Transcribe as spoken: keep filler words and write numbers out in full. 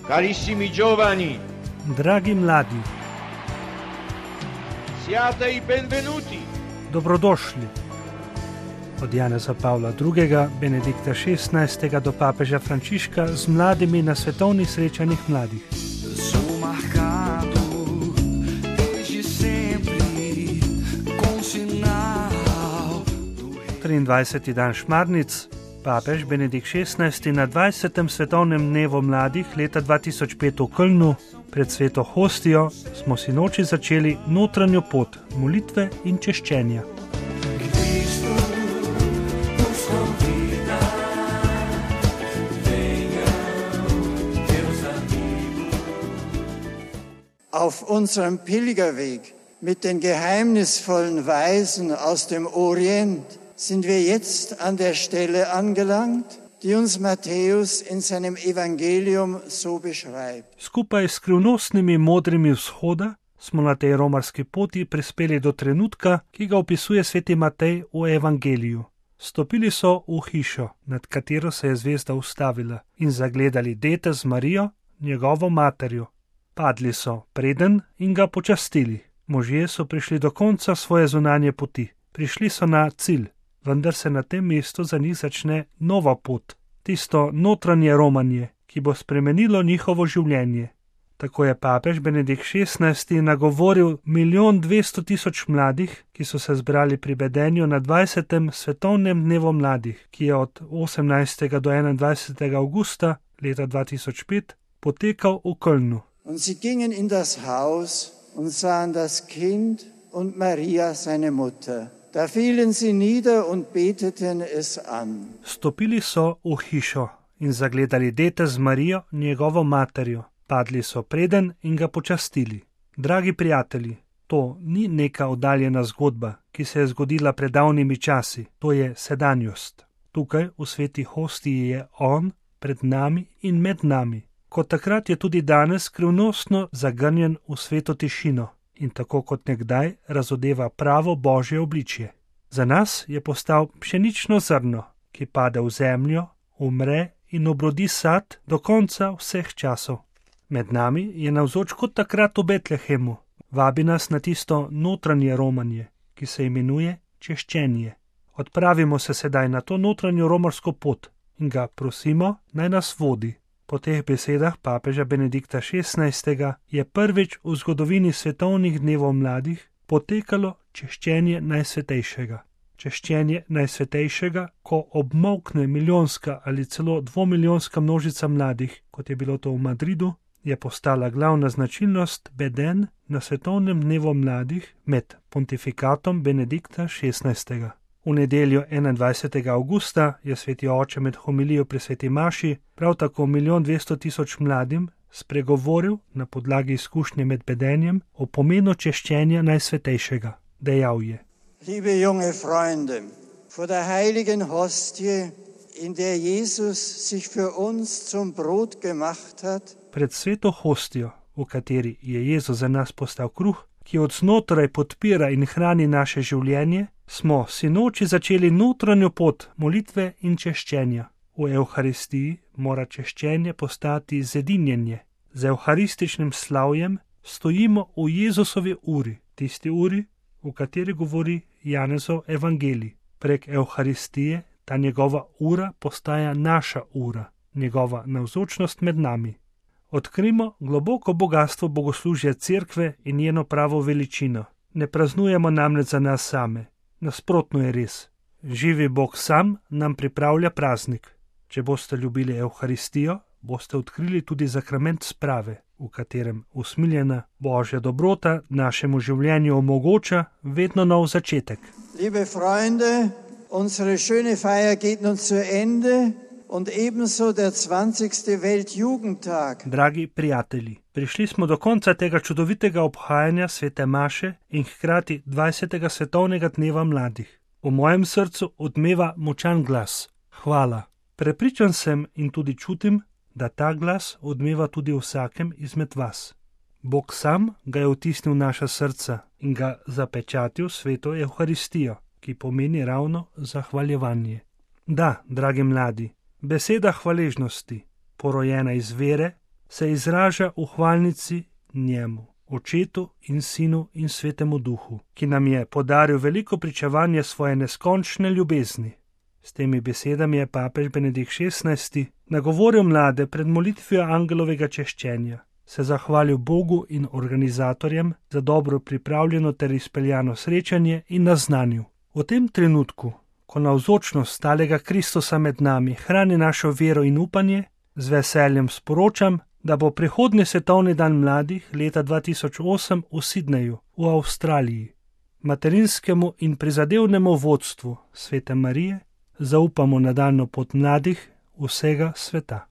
Carissimi giovani, dragi mladi, siate i benvenuti. Dobrodošli. Od Janeza Pavla drugega, Benedikta šestnajstega do papeža Frančiška z mladimi na svetovnih srečanjih mladih. triindvajseti dan Šmarnic, papež Benedikt šestnajsti na dvajsetem svetovnem dnevu mladih leta dva tisoč pet v Kölnu pred sveto hostijo smo sinoči začeli notranjo pot molitve in češčenja. Auf unserem Pilgerweg mit den geheimnisvollen Weisen aus dem Orient sind wir jetzt an der Stelle angelangt, die uns Matthäus in seinem Evangelium so beschreibt. Skupaj s skrivnostnimi modrimi vzhoda smo na tej romarski poti prispeli do trenutka, ki ga opisuje sveti Matej v Evangeliju. Stopili so v hišo, nad katero se je zvezda ustavila, in zagledali dete z Marijo, njegovo materjo. Padli so preden in ga počastili. Možje so prišli do konca svoje zunanje poti. Prišli so na cilj. Vendar se na tem mestu za njih začne nova pot, tisto notranje romanje, ki bo spremenilo njihovo življenje. Tako je papež Benedikt šestnajsti nagovoril milijon dvesto tisoč mladih, ki so se zbrali pri bedenju na dvajsetem svetovnem dnevu mladih, ki je od osemnajstega do enaindvajsetega avgusta leta dva tisoč pet potekal v Kölnu. Und sie gingen in das Haus und sahen das Kind und Maria seine Mutter. Da fielen sie nieder und beteten es an. Stopili so v hišo in zagledali dete z Marijo, njegovo materjo. Padli so preden in ga počastili. Dragi prijatelji, to ni neka oddaljena zgodba, ki se je zgodila pred davnimi časi. To je sedanjost. Tukaj v sveti hostiji je on pred nami in med nami. Kot takrat je tudi danes skrivnostno zagrnjen v sveto tišino. In tako kot nekdaj razodeva pravo Božje obličje. Za nas je postal pšenično zrno, ki pade v zemljo, umre in obrodi sad do konca vseh časov. Med nami je navzoč kot takrat v Betlehemu. Vabi nas na tisto notranje romanje, ki se imenuje češčenje. Odpravimo se sedaj na to notranjo romarsko pot in ga prosimo, naj nas vodi. Po teh besedah papeža Benedikta šestnajstega je prvič v zgodovini svetovnih dnevov mladih potekalo češčenje najsvetejšega. Češčenje najsvetejšega, ko obmolkne milijonska ali celo dvomilijonska množica mladih, kot je bilo to v Madridu, je postala glavna značilnost beden na svetovnem dnevu mladih med pontifikatom Benedikta šestnajstega. V nedeljo enaindvajsetega avgusta je sveti oče med homilijo pri sveti maši prav tako milijon dvesto tisoč mladim spregovoril na podlagi izkušnje med bedenjem o pomenu češčenja najsvetejšega. Dejal je: Liebe junge Freunde, vor der heiligen Hostie, in der Jesus sich für uns zum Brot gemacht hat, pred sveto hostijo, v kateri je Jezus za nas postal kruh, ki od znotraj podpira in hrani naše življenje, smo sinoči začeli notranjo pot molitve in češčenja. V Evharistiji mora češčenje postati zedinjenje. Z evharističnim slavjem stojimo v Jezusovi uri, tisti uri, v kateri govori Janezov evangelij. Prek Evharistije ta njegova ura postaja naša ura, njegova navzočnost med nami. Odkrimo globoko bogatstvo bogoslužja cerkve in njeno pravo veličino. Ne praznujemo namreč za nas same. Nasprotno je res. Živi Bog sam nam pripravlja praznik. Če boste ljubili Evharistijo, boste odkrili tudi sakrament sprave, v katerem usmiljena Božja dobrota našemu življenju omogoča vedno nov začetek. Liebe Freunde, unsere schöne Feier geht nun zu Ende. Und ebenso der zwanzigste Weltjugendtag. Dragi prijatelji, prišli smo do konca tega čudovitega obhajanja svete maše in hkrati dvajsetega svetovnega dneva mladih. V mojem srcu odmeva močan glas. Hvala. Prepričan sem in tudi čutim, da ta glas odmeva tudi vsakem izmed vas. Bog sam ga je vtisnil v naša srca in ga zapečatil sveto Evharistijo, ki pomeni ravno zahvaljevanje. Da, dragi mladi, beseda hvaležnosti, porojena iz vere, se izraža v hvalnici njemu, Očetu in Sinu in Svetemu Duhu, ki nam je podaril veliko pričevanje svoje neskončne ljubezni. S temi besedami je papež Benedikt šestnajsti nagovoril mlade pred molitvijo angelovega češčenja, se zahvalil Bogu in organizatorjem za dobro pripravljeno ter izpeljano srečanje in naznanil: v tem trenutku, ko navzočnost stalega Kristusa med nami hrani našo vero in upanje, z veseljem sporočam, da bo prihodnji svetovni dan mladih leta dva tisoč osem v Sidneju v Avstraliji. Materinskemu in prizadevnemu vodstvu Svete Marije zaupamo nadaljnjo pot mladih vsega sveta.